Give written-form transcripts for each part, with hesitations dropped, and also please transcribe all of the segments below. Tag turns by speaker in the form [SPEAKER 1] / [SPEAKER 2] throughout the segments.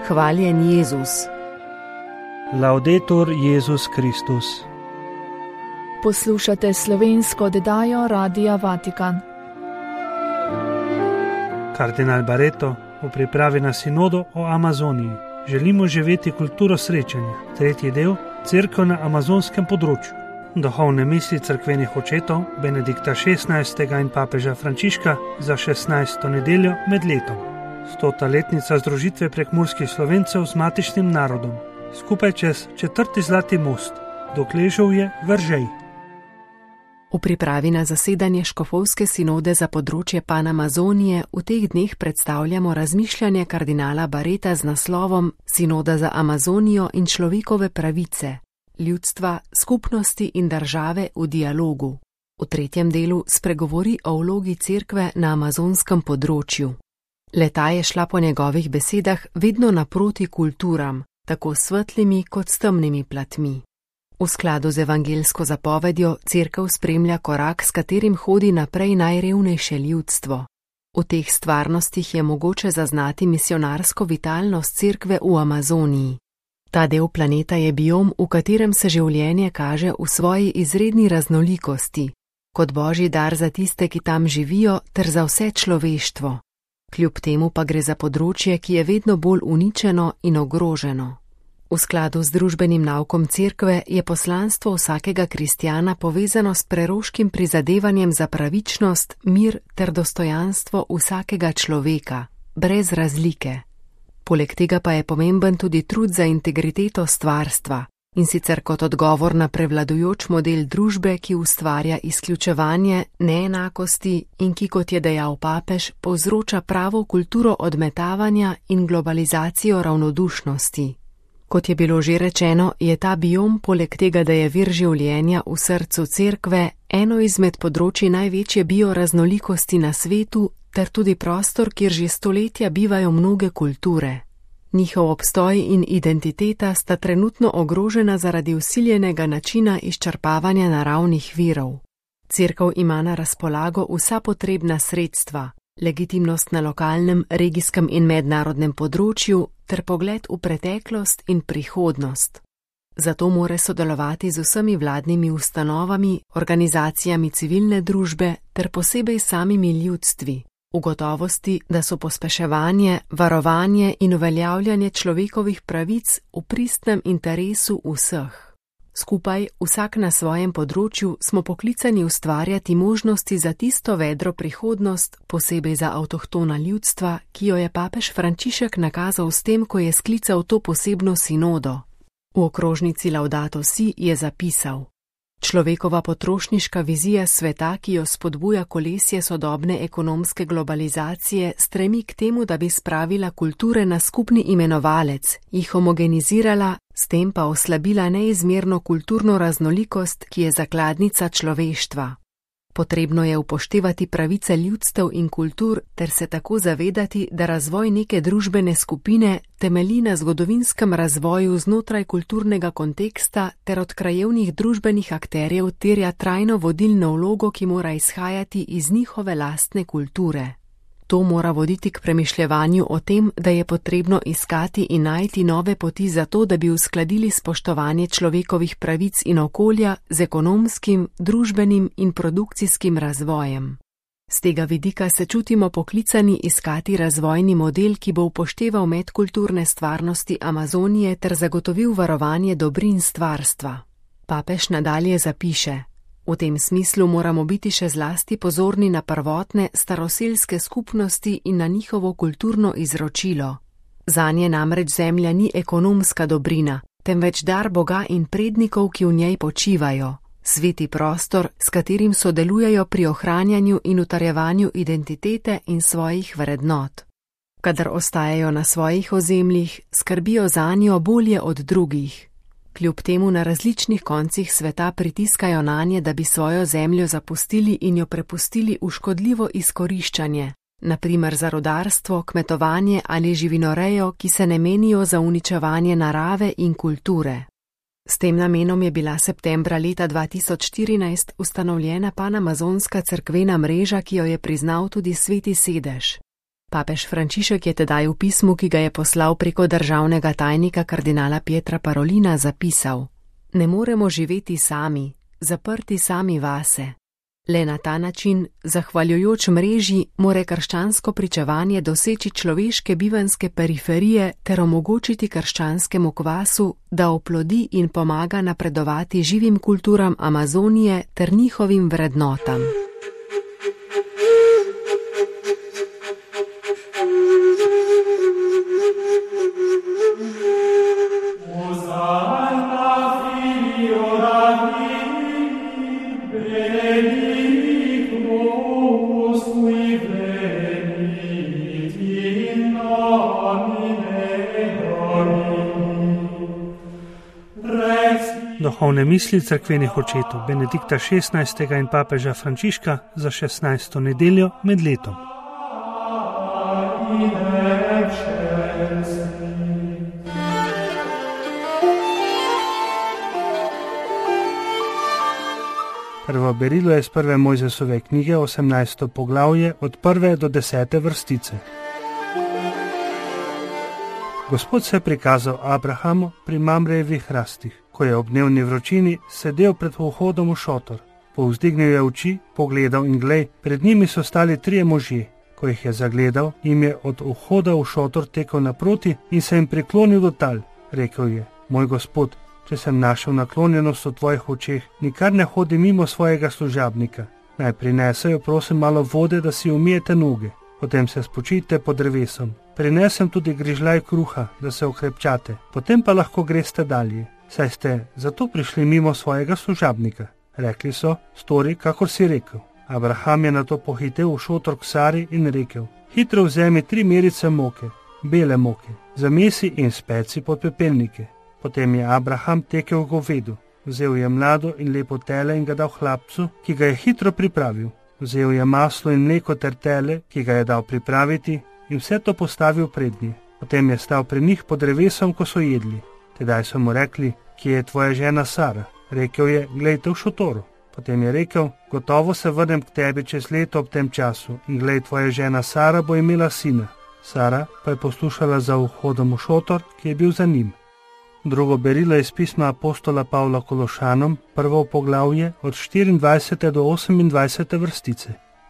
[SPEAKER 1] Hvaljen Jezus.
[SPEAKER 2] Laudetur Jezus Kristus.
[SPEAKER 3] Poslušate slovensko oddajo Radia Vatikan.
[SPEAKER 2] Kardinal Barreto v pripravi na sinodo o Amazoniji. Želimo živeti kulturo srečanja. Tretji del, Cerkev na amazonskem področju. Duhovne misli cerkvenih očetov Benedikta XVI. In papeža Frančiška za 16. nedeljo med letom. 100. letnica združitve prekmurskih Slovencev z matičnim narodom. Skupaj čez 4. zlati most, dokležal je Veržej.
[SPEAKER 1] V pripravi na zasedanje škofovske sinode za področje Panamazonije v teh dneh predstavljamo razmišljanje kardinala Barreta z naslovom Sinoda za Amazonijo in človekove pravice, ljudstva, skupnosti in države v dialogu. V tretjem delu spregovori o vlogi cerkve na amazonskem področju. Leta je šla po njegovih besedah vedno naproti kulturam, tako svetlimi kot s temnimi platmi. V skladu z evangelsko zapovedjo cerkev spremlja korak, s katerim hodi naprej najrevnejše ljudstvo. V teh stvarnostih je mogoče zaznati misionarsko vitalnost cerkve v Amazoniji. Ta del planeta je biom, v katerem se življenje kaže v svoji izredni raznolikosti, kot božji dar za tiste, ki tam živijo, ter za vse človeštvo. Kljub temu pa gre za področje, ki je vedno bolj uničeno in ogroženo. V skladu z družbenim naukom cerkve je poslanstvo vsakega kristjana povezano s preroškim prizadevanjem za pravičnost, mir ter dostojanstvo vsakega človeka, brez razlike. Poleg tega pa je pomemben tudi trud za integriteto stvarstva, in sicer kot odgovor na prevladujoč model družbe, ki ustvarja izključevanje, neenakosti in ki, kot je dejal papež, povzroča pravo kulturo odmetavanja in globalizacijo ravnodušnosti. Kot je bilo že rečeno, je ta biom, poleg tega, da je vir življenja v srcu cerkve, eno izmed področji največje bioraznolikosti na svetu, ter tudi prostor, kjer že stoletja bivajo mnoge kulture. Njihov obstoj in identiteta sta trenutno ogrožena zaradi vsiljenega načina izčrpavanja naravnih virov. Cerkev ima na razpolago vsa potrebna sredstva, legitimnost na lokalnem, regijskem in mednarodnem področju ter pogled v preteklost in prihodnost. Zato mora sodelovati z vsemi vladnimi ustanovami, organizacijami civilne družbe ter posebej samimi ljudstvi, v gotovosti, da so pospeševanje, varovanje in uveljavljanje človekovih pravic v pristnem interesu vseh. Skupaj, vsak na svojem področju, smo poklicani ustvarjati možnosti za tisto vedro prihodnost, posebej za avtohtona ljudstva, ki jo je papež Frančišek nakazal s tem, ko je sklical to posebno sinodo. V okrožnici Laudato Si je zapisal: Človekova potrošniška vizija sveta, ki jo spodbuja kolesje sodobne ekonomske globalizacije, stremi k temu, da bi spravila kulture na skupni imenovalec, jih homogenizirala, s tem pa oslabila neizmerno kulturno raznolikost, ki je zakladnica človeštva. Potrebno je upoštevati pravice ljudstev in kultur ter se tako zavedati, da razvoj neke družbene skupine temelji na zgodovinskem razvoju znotraj kulturnega konteksta ter od krajevnih družbenih akterjev terja trajno vodilno vlogo, ki mora izhajati iz njihove lastne kulture. To mora voditi k premišljevanju o tem, da je potrebno iskati in najti nove poti za to, da bi uskladili spoštovanje človekovih pravic in okolja z ekonomskim, družbenim in produkcijskim razvojem. Z tega vidika se čutimo poklicani iskati razvojni model, ki bo upošteval medkulturne stvarnosti Amazonije ter zagotovil varovanje dobrin stvarstva. Papež nadalje zapiše: V tem smislu moramo biti še zlasti pozorni na prvotne staroselske skupnosti in na njihovo kulturno izročilo. Zanje namreč zemlja ni ekonomska dobrina, temveč dar Boga in prednikov, ki v njej počivajo, sveti prostor, s katerim sodelujejo pri ohranjanju in utrjevanju identitete in svojih vrednot. Kadar ostajajo na svojih ozemljih, skrbijo zanjo bolje od drugih. Kljub temu na različnih koncih sveta pritiskajo nanje, da bi svojo zemljo zapustili in jo prepustili v škodljivo izkoriščanje, na primer za rudarstvo, kmetovanje ali živinorejo, ki se ne menijo za uničevanje narave in kulture. S tem namenom je bila septembra leta 2014 ustanovljena Panamazonska cerkvena mreža, ki jo je priznal tudi Sveti sedež. Papež Frančišek je tedaj v pismu, ki ga je poslal preko državnega tajnika kardinala Pietra Parolina, zapisal: Ne moremo živeti sami, zaprti sami vase. Le na ta način, zahvaljujoč mreži, more krščansko pričevanje doseči človeške bivanske periferije ter omogočiti krščanskemu kvasu, da oplodi in pomaga napredovati živim kulturam Amazonije ter njihovim vrednotam.
[SPEAKER 2] Duhovne misli cerkvenih očetov Benedikta XVI. In papeža Frančiška za 16. nedeljo med letom. Prvo berilo je iz prve Mojzesove knjige, 18. poglavje, od 1. do 10. vrstice. Gospod se je prikazal Abrahamu pri Mamrejevih hrastih, ko je ob dnevni vročini sedel pred vhodom v šotor. Povzdignil je oči, pogledal in glej, pred njimi so stali 3 možje. Ko jih je zagledal, jim je od vhoda v šotor tekel naproti in se jim priklonil do tal. Rekel je: Moj gospod, če sem našel naklonjenost v tvojih očeh, nikar ne hodi mimo svojega služabnika. Naj prinesejo, prosim, malo vode, da si umijete noge. Potem se spočijte pod drevesom. Prinesem tudi grižljaj kruha, da se okrepčate. Potem pa lahko greste dalje. Saj ste zato prišli mimo svojega služabnika. Rekli so: Stori, kakor si rekel. Abraham je nato pohitel v šotor k Sari in rekel: Hitro vzemi 3 merice moke, bele moke, zamesi in speci pod pepelnike. Potem je Abraham tekel k govedu. Vzel je mlado in lepo tele in ga dal hlapcu, ki ga je hitro pripravil. Vzel je maslo in mleko ter tele, ki ga je dal pripraviti, in vse to postavil pred njih. Potem je stal pri njih pod drevesom, ko so jedli. Tedaj so mu rekli: Kje je tvoja žena Sara? Rekel je: Glejte v šotoru. Potem je rekel: Gotovo se vrnem k tebi čez leto ob tem času in glej, tvoja žena Sara bo imela sina. Sara pa je poslušala za vhodom v šotor, ki je bil za njim. Drugo berilo je iz pisma apostola Pavla Kološanom, prvo poglavje, od 24. do 28. vrstice.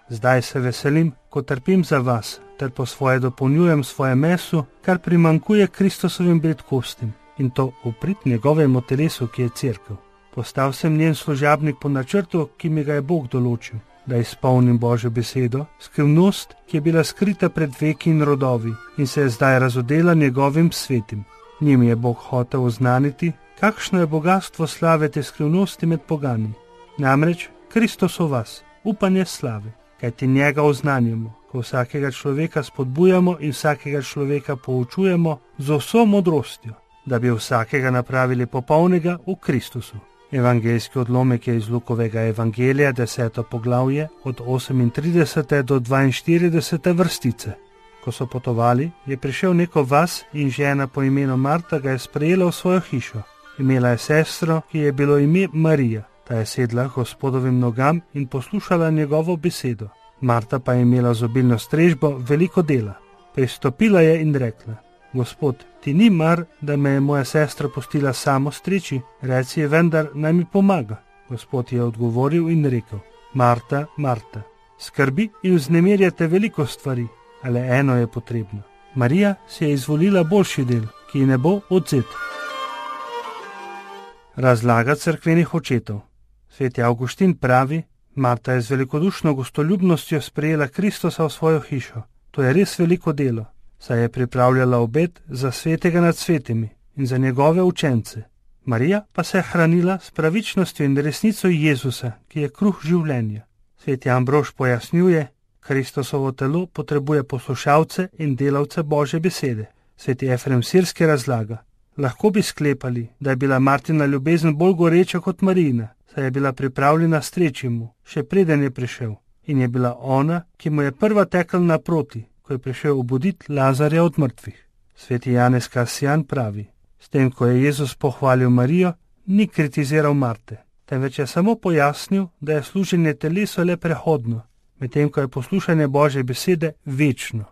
[SPEAKER 2] Zdaj se veselim, ko trpim za vas, ter po svoje dopolnjujem svoje meso, kar primankuje Kristusovim bridkostim, in to v prid njegovemu telesu, ki je cerkev. Postal sem njen služabnik po načrtu, ki mi ga je Bog določil, da izpolnim Božjo besedo, skrivnost, ki je bila skrita pred veki in rodovi in se je zdaj razodela njegovim svetim. Njim je Bog hotel oznaniti, kakšno je bogatstvo slave te skrivnosti med pogani. Namreč Kristus v vas, upanje slave, kajti njega oznanjamo, ko vsakega človeka spodbujamo in vsakega človeka poučujemo z vso modrostjo, da bi vsakega napravili popolnega v Kristusu. Evangeljski odlomek je iz Lukovega evangelija, 10. poglavje, od 38. do 42. vrstice. Ko so potovali, je prišel neko vas in žena po imenu Marta ga je sprejela v svojo hišo. Imela je sestro, ki je bilo ime Marija. Ta je sedla Gospodovim nogam in poslušala njegovo besedo. Marta pa je imela z obilno strežbo veliko dela. Pristopila je in rekla: Gospod, ti ni mar, da me je moja sestra pustila samo streči, reci je vendar, naj mi pomaga. Gospod je odgovoril in rekel: Marta, Marta, skrbi in vznemirjate veliko stvari, ale eno je potrebno. Marija si je izvolila boljši del, ki ji ne bo odvzet. Razlaga cerkvenih očetov. Sveti Avguštin pravi: Marta je z velikodušno gostoljubnostjo sprejela Kristusa v svojo hišo. To je res veliko delo, saj je pripravljala obed za svetega nad svetimi in za njegove učence. Marija pa se je hranila s pravičnostjo in resnico Jezusa, ki je kruh življenja. Sveti Ambrož pojasnjuje: Kristusovo telo potrebuje poslušalce in delavce Božje besede. Sveti Efrem Sirski razlaga: Lahko bi sklepali, da je bila Martina ljubezen bolj goreča kot Marijina, saj je bila pripravljena streči mu, še preden je prišel, in je bila ona, ki mu je prva tekla naproti, ko je prišel obuditi Lazarja od mrtvih. Sveti Janez Kasijan pravi: S tem, ko je Jezus pohvalil Marijo, ni kritiziral Marte, temveč je samo pojasnil, da je služenje telesu le prehodno, medtem ko je poslušanje Božje besede večno.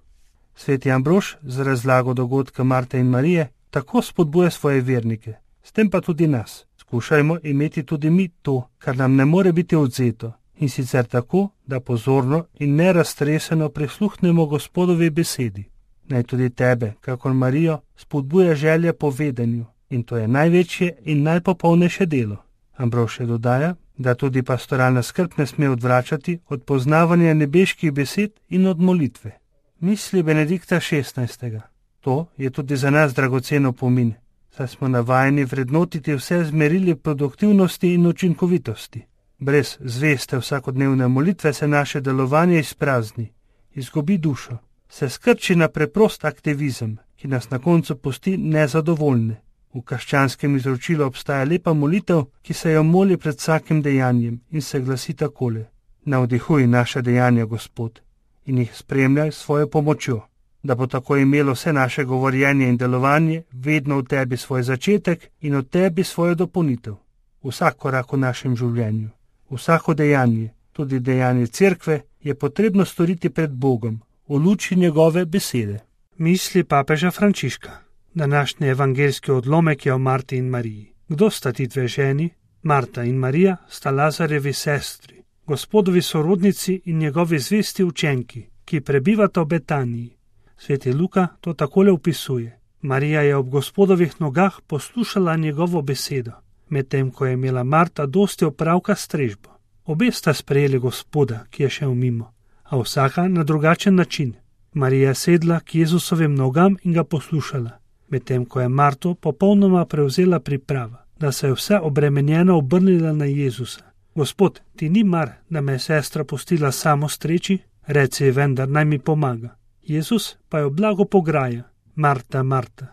[SPEAKER 2] Sveti Ambrož z razlago dogodka Marte in Marije tako spodbuja svoje vernike, s tem pa tudi nas. Skušajmo imeti tudi mi to, kar nam ne more biti odvzeto, in sicer tako, da pozorno in neraztreseno prisluhnemo Gospodovi besedi. Naj tudi tebe, kakor Marijo, spodbuja želja po vedenju, in to je največje in najpopolnejše delo. Ambrož še dodaja, da tudi pastoralna skrb ne sme odvračati od poznavanja nebeških besed in od molitve. Misli Benedikta XVI. To je tudi za nas dragocen opomin, saj smo navajeni vrednotiti vse z merili produktivnosti in učinkovitosti. Brez zveste vsakodnevne molitve se naše delovanje izprazni, izgubi dušo, se skrči na preprost aktivizem, ki nas na koncu pusti nezadovoljne. V krščanskem izročilu obstaja lepa molitev, ki se jo moli pred vsakim dejanjem in se glasi takole: Navdihuj naše dejanja, Gospod, in jih spremljaj s svojo pomočjo, da bo tako imelo vse naše govorjenje in delovanje vedno v tebi svoj začetek in v tebi svojo dopolnitev. Vsak korak v našem življenju, vsako dejanje, tudi dejanje cerkve, je potrebno storiti pred Bogom, v luči njegove besede. Misli papeža Frančiška. Današnji evangeljski odlomek je o Marti in Mariji. Kdo sta ti dve ženi? Marta in Marija sta Lazarjevi sestri, Gospodovi sorodnici in njegovi zvesti učenki, ki prebivata v Betaniji. Sveti Luka to takole opisuje. Marija je ob Gospodovih nogah poslušala njegovo besedo, medtem ko je imela Marta dosti opravka s strežbo. Obe sta sprejeli Gospoda, ki je šel mimo, a vsaka na drugačen način. Marija je sedla k Jezusovim nogam in ga poslušala, medtem ko je Marto popolnoma prevzela priprava, da se je vse obremenjeno obrnila na Jezusa. Gospod, ti ni mar, da me je sestra pustila samo streči? Reci ji vendar, naj mi pomaga. Jezus pa jo blago pograja. Marta, Marta,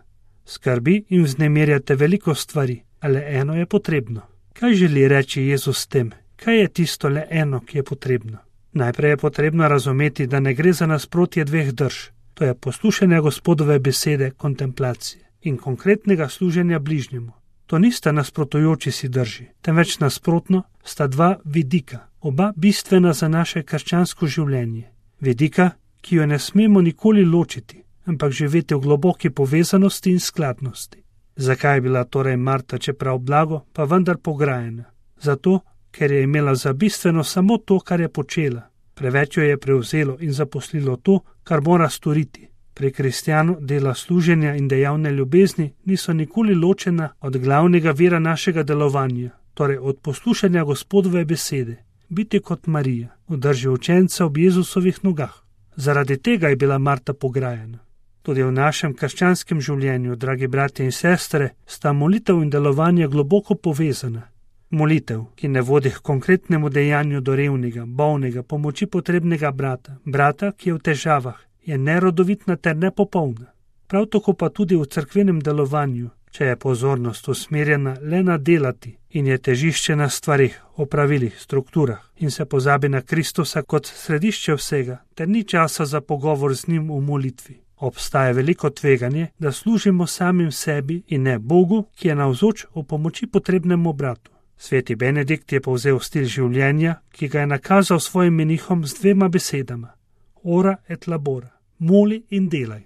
[SPEAKER 2] skrbi in vznemirjate veliko stvari, ale eno je potrebno. Kaj želi reči Jezus s tem? Kaj je tisto le eno, ki je potrebno? Najprej je potrebno razumeti, da ne gre za nasprotje dveh drž. To je poslušanje Gospodove besede, kontemplacije in konkretnega služenja bližnjemu. To nista nasprotujoči si drži, temveč nasprotno sta dva vidika, oba bistvena za naše krščansko življenje. Vidika, ki jo ne smemo nikoli ločiti, ampak živeti v globoki povezanosti in skladnosti. Zakaj je bila torej Marta, čeprav blago, pa vendar pograjena? Zato, ker je imela za bistveno samo to, kar je počela. Preveč jo je prevzelo in zaposlilo to, kar mora storiti. Pri kristjanu dela služenja in dejavne ljubezni niso nikoli ločena od glavnega vira našega delovanja, torej od poslušanja Gospodove besede. Biti kot Marija, v drži učenca ob Jezusovih nogah. Zaradi tega je bila Marta pograjena. Tudi v našem krščanskem življenju, dragi bratje in sestre, sta molitev in delovanje globoko povezana. Molitev, ki ne vodi k konkretnemu dejanju do revnega, bolnega, pomoči potrebnega brata, ki je v težavah, je nerodovitna ter nepopolna. Prav tako pa tudi v cerkvenem delovanju, če je pozornost usmerjena le na delati in je težišče na stvarih, opravilih, strukturah in se pozabi na Kristusa kot središče vsega, ter ni časa za pogovor z njim v molitvi. Obstaja veliko tveganje, da služimo samim sebi in ne Bogu, ki je navzoč v pomoči potrebnemu bratu. Sveti Benedikt je povzel stil življenja, ki ga je nakazal svojim menihom z dvema besedama: ora et labora, moli in delaj.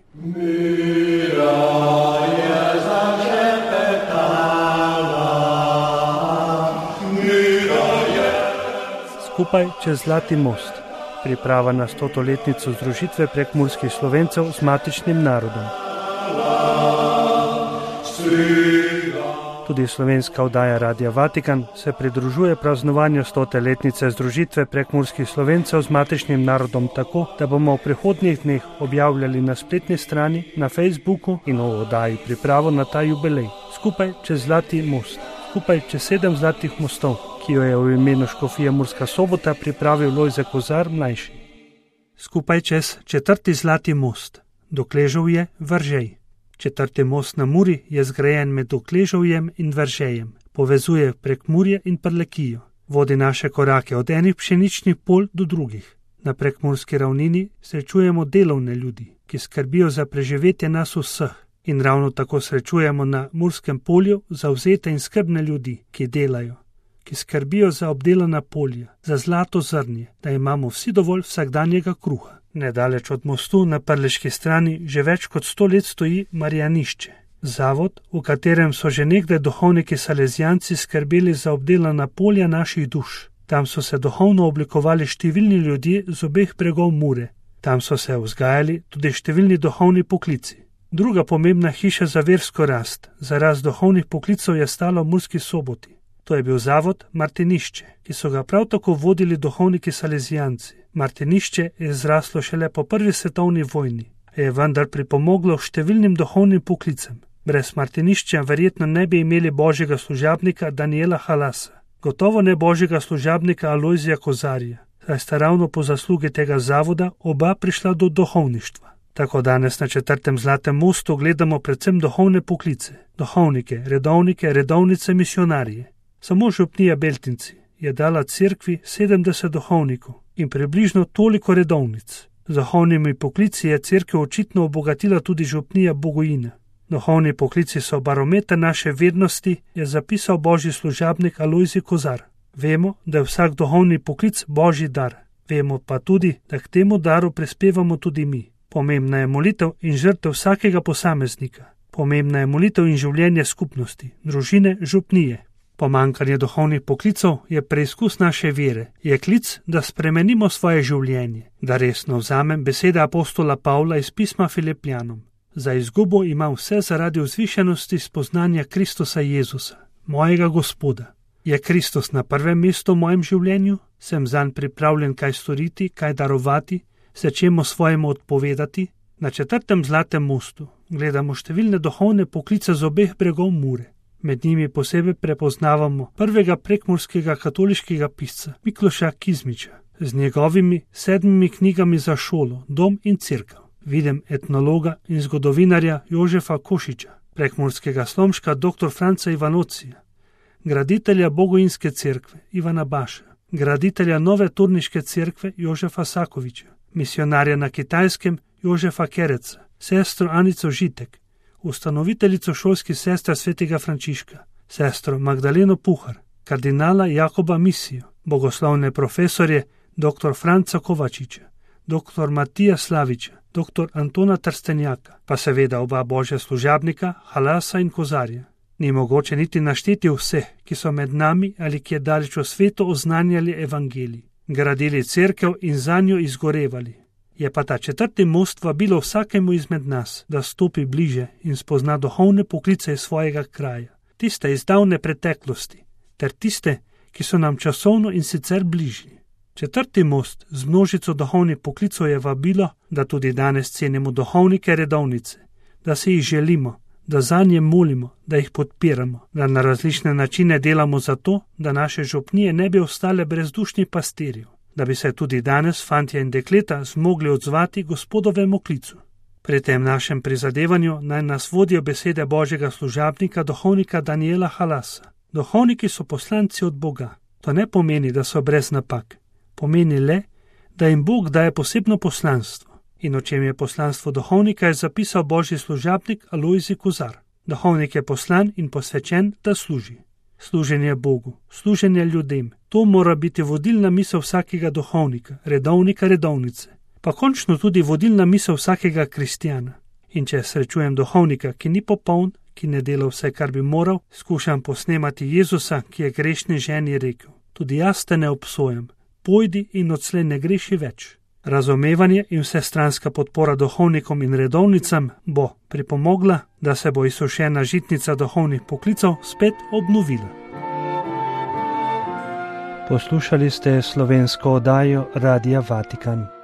[SPEAKER 2] Skupaj čez Zlati most. Priprava na 100-letnico združitve prekmurskih Slovencev z matičnim narodom. Tudi slovenska oddaja Radia Vatikan se pridružuje praznovanju 100-letnice združitve prekmurskih Slovencev z matičnim narodom tako, da bomo v prihodnjih dneh objavljali na spletni strani, na Facebooku in v oddaji pripravo na ta jubilej. Skupaj čez Zlati most. Skupaj čez 7 zlatih mostov, ki jo je v imenu škofije Murska Sobota pripravil Lojze Kozar mlajši. Skupaj čez 4. Zlati most. Dokležovje, Veržej. 4. most na Muri je zgrajen med Dokležovjem in Veržejem. Povezuje Prekmurje in Prlekijo. Vodi naše korake od enih pšeničnih polj do drugih. Na prekmurski ravnini srečujemo delovne ljudi, ki skrbijo za preživetje nas vseh. In ravno tako srečujemo na Murskem polju zavzete in skrbne ljudi, ki delajo, ki skrbijo za obdelana polja, za zlato zrnje, da imamo vsi dovolj vsakdanjega kruha. Nedaleč od mostu na Prleški strani že več kot 100 let stoji Marijanišče, zavod, v katerem so že nekdaj duhovniki salezijanci skrbeli za obdelana polja naših duš. Tam so se duhovno oblikovali številni ljudje z obeh bregov Mure. Tam so se vzgajali tudi številni duhovni poklici. Druga pomembna hiša za versko rast, za rast duhovnih poklicov je stala v Murski Soboti. To je bil zavod Martinišče, ki so ga prav tako vodili duhovniki salezijanci. Martinišče je zraslo šele po prvi svetovni vojni, a je vendar pripomoglo številnim duhovnim poklicem. Brez Martinišča verjetno ne bi imeli božjega služabnika Daniela Halasa, gotovo ne božjega služabnika Alojzija Kozarja, saj sta ravno po zaslugi tega zavoda oba prišla do duhovništva. Tako danes na 4. Zlatem mostu gledamo predvsem duhovne poklice, duhovnike, redovnice, misionarije. Samo župnija Beltinci je dala cerkvi 70 duhovnikov in približno toliko redovnic. Z duhovnimi poklici je cerkev očitno obogatila tudi župnija Bogojina. Duhovni poklici so barometer naše vednosti, je zapisal božji služabnik Alojzij Kozar. Vemo, da je vsak duhovni poklic božji dar. Vemo pa tudi, da k temu daru prispevamo tudi mi. Pomembna je molitev in žrtev vsakega posameznika. Pomembna je molitev in življenje skupnosti, družine, župnije. Pomanjkanje duhovnih poklicov je preizkus naše vere, je klic, da spremenimo svoje življenje, da resno vzamem besede apostola Pavla iz pisma Filipljanom. Za izgubo imam vse zaradi vzvišenosti spoznanja Kristusa Jezusa, mojega Gospoda. Je Kristus na prvem mestu v mojem življenju? Sem zanj pripravljen kaj storiti, kaj darovati, se čemu svojemu odpovedati? Na 4. Zlatem mostu gledamo številne duhovne poklice z obeh bregov Mure. Med njimi posebej prepoznavamo prvega prekmurskega katoliškega pisca Mikloša Kizmiča z njegovimi 7 knjigami za šolo, dom in cerkev. Vidim etnologa in zgodovinarja Jožefa Košiča, prekmurskega slomška dr. Franca Ivanocija, graditelja Bogojinske cerkve Ivana Baša, graditelja nove turniške cerkve Jožefa Sakoviča, misionarja na Kitajskem Jožefa Kereca, sestro Anico Žitek, ustanoviteljico šolskih sester svetega Frančiška, sestro Magdaleno Puhar, kardinala Jakoba Misijo, bogoslovne profesorje dr. Franca Kovačiča, dr. Matija Slaviča, dr. Antona Trstenjaka, pa seveda oba božja služabnika Halasa in Kozarja. Ni mogoče niti našteti vseh, ki so med nami ali ki je daleč v svetu oznanjali evangelij, gradili cerkev in zanjo izgorevali. Je pa ta 4. most vabilo vsakemu izmed nas, da stopi bliže in spozna duhovne poklice iz svojega kraja, tiste iz davne preteklosti, ter tiste, ki so nam časovno in sicer bližnji. 4. most z množico duhovnih poklicov je vabilo, da tudi danes cenimo duhovnike redovnice, da se jih želimo, da zanje molimo, da jih podpiramo, da na različne načine delamo za to, da naše župnije ne bi ostale brezdušnih pastirjev, da bi se tudi danes fantje in dekleta zmogli odzvati Gospodovemu klicu. Pri tem našem prizadevanju naj nas vodijo besede božjega služabnika, duhovnika Daniela Halasa. Duhovniki so poslanci od Boga. To ne pomeni, da so brez napak. Pomeni le, da jim Bog daje posebno poslanstvo. In o čem je poslanstvo duhovnika, je zapisal božji služabnik Alojzij Kozar. Duhovnik je poslan in posvečen, da služi. Služenje Bogu, služenje ljudem, to mora biti vodilna misel vsakega duhovnika, redovnice, pa končno tudi vodilna misel vsakega kristjana. In če srečujem duhovnika, ki ni popoln, ki ne dela vse, kar bi moral, skušam posnemati Jezusa, ki je grešni ženi rekel: tudi jaz te ne obsojam, pojdi in odslej ne greši več. Razumevanje in vsestranska podpora duhovnikom in redovnicam bo pripomogla, da se bo izsušena žitnica duhovnih poklicev spet obnovila.
[SPEAKER 4] Poslušali ste slovensko oddajo Radia Vatikan.